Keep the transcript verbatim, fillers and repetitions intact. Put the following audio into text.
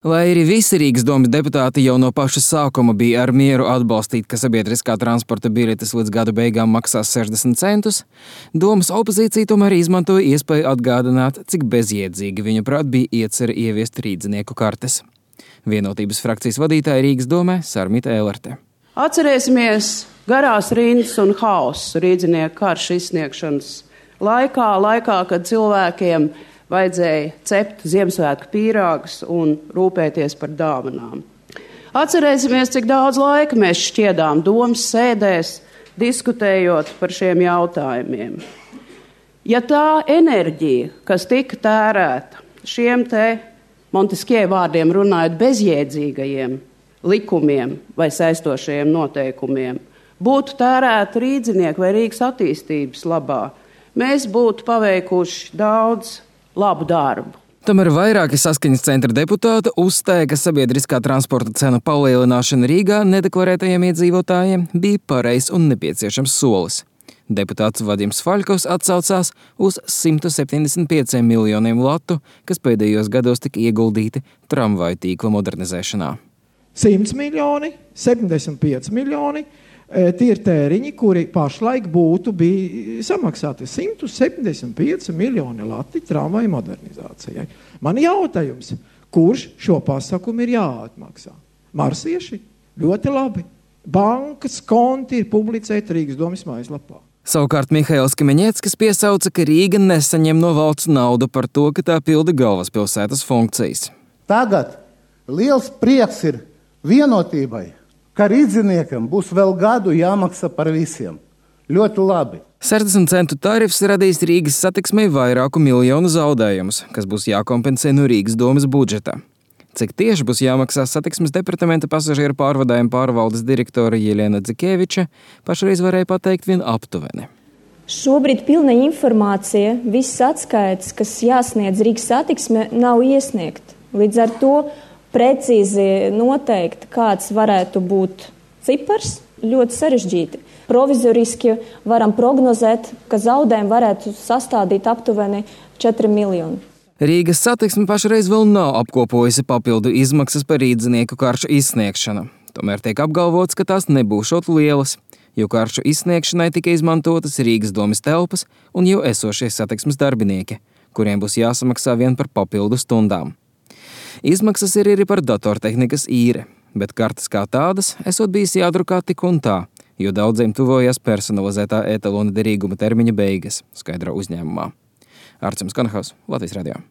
Lai arī visi Rīgas domas deputāti jau no paša sākuma bija ar mieru atbalstīt, ka sabiedriskā transporta biļetes līdz gada beigām maksās sešdesmit centus, domas opozīcija tomēr izmantoja iespēju atgādināt, cik bezjēdzīgi viņuprāt bija iecerē ieviest rīdzinieku kartes. Vienotības frakcijas vadītāja Rīgas domē Sarmita Ēlerte. Atcerēsimies garās rindas un haosu rīdzinieku karšu izsniegšanas laikā, laikā, kad cilvēkiem vajadzēja cept Ziemassvētku pīrāgus un rūpēties par dāvanām. Atcerēsimies, cik daudz laika mēs šķiedām domas sēdēs, diskutējot par šiem jautājumiem. Ja tā enerģija, kas tika tērēta šiem te Monteskie vārdiem runājot bezjēdzīgajiem likumiem vai saistošajiem noteikumiem, būtu tērēta rīdzinieku vai Rīgas attīstības labā, mēs būtu paveikuši daudz labu darbu. Tomēr vairāki saskaņas centra deputāti uzstāja, ka sabiedriskā transporta cenu palielināšana Rīgā nedeklarētajiem iedzīvotājiem bija pareizs un nepieciešams solis. Deputāts Vadims Faļkovs atsaucās uz simt septiņdesmit pieciem miljoniem latu, kas pēdējos gados tika ieguldīti tramvaju tīkla modernizēšanā. simt miljoni, septiņdesmit pieci miljoni. Tie ir tēriņi, kuri pašlaik būtu bija samaksāti simt septiņdesmit pieci miljoni lati tramvaju modernizācijai. Man jautājums, kurš šo pasākumu ir jāatmaksā? Marsieši? Ļoti labi. Bankas konti ir publicēti Rīgas domas mājaslapā. Savukārt Mihails Kimeņeckis piesauca, ka Rīga nesaņem no valsts naudu par to, ka tā pilda galvaspilsētas funkcijas. Tagad liels prieks ir vienotībai, ka rīdziniekam būs vēl gadu jāmaksā par visiem. Ļoti labi. sešdesmit centu tarifs radīs Rīgas satiksmei vairāku miljonu zaudējumus, kas būs jākompensē no Rīgas domas budžeta. Cik tieši būs jāmaksā satiksmes departamenta pasažieru pārvadājuma pārvaldes direktora Jelena Dzikeviča, pašreiz varēja pateikt vien aptuveni. Šobrīd pilna informācija, viss atskaits, kas jāsniedz Rīgas satiksme, nav iesniegt. Līdz ar to precīzi noteikt, kāds varētu būt cipars, ļoti sarežģīti. Provizoriski varam prognozēt, ka zaudējumi varētu sastādīt aptuveni četri miljoni. Rīgas satiksme pašreiz vēl nav apkopojusi papildu izmaksas par rīdzinieku karšu izsniegšanu. Tomēr tiek apgalvots, ka tās nebūšot lielas, jo karšu izsniegšanai tika izmantotas Rīgas domas telpas un jau esošie satiksmes darbinieki, kuriem būs jāsamaksā vien par papildu stundām. Izmaksas ir arī par datortehnikas īre, bet kartes kā tādas esot bijis jādrukā tik un tā, jo daudziem tuvojas personalizētā etalona derīguma termiņa beigas, skaidro uzņēmumā. Arcims Kanahaus, Latvijas radio.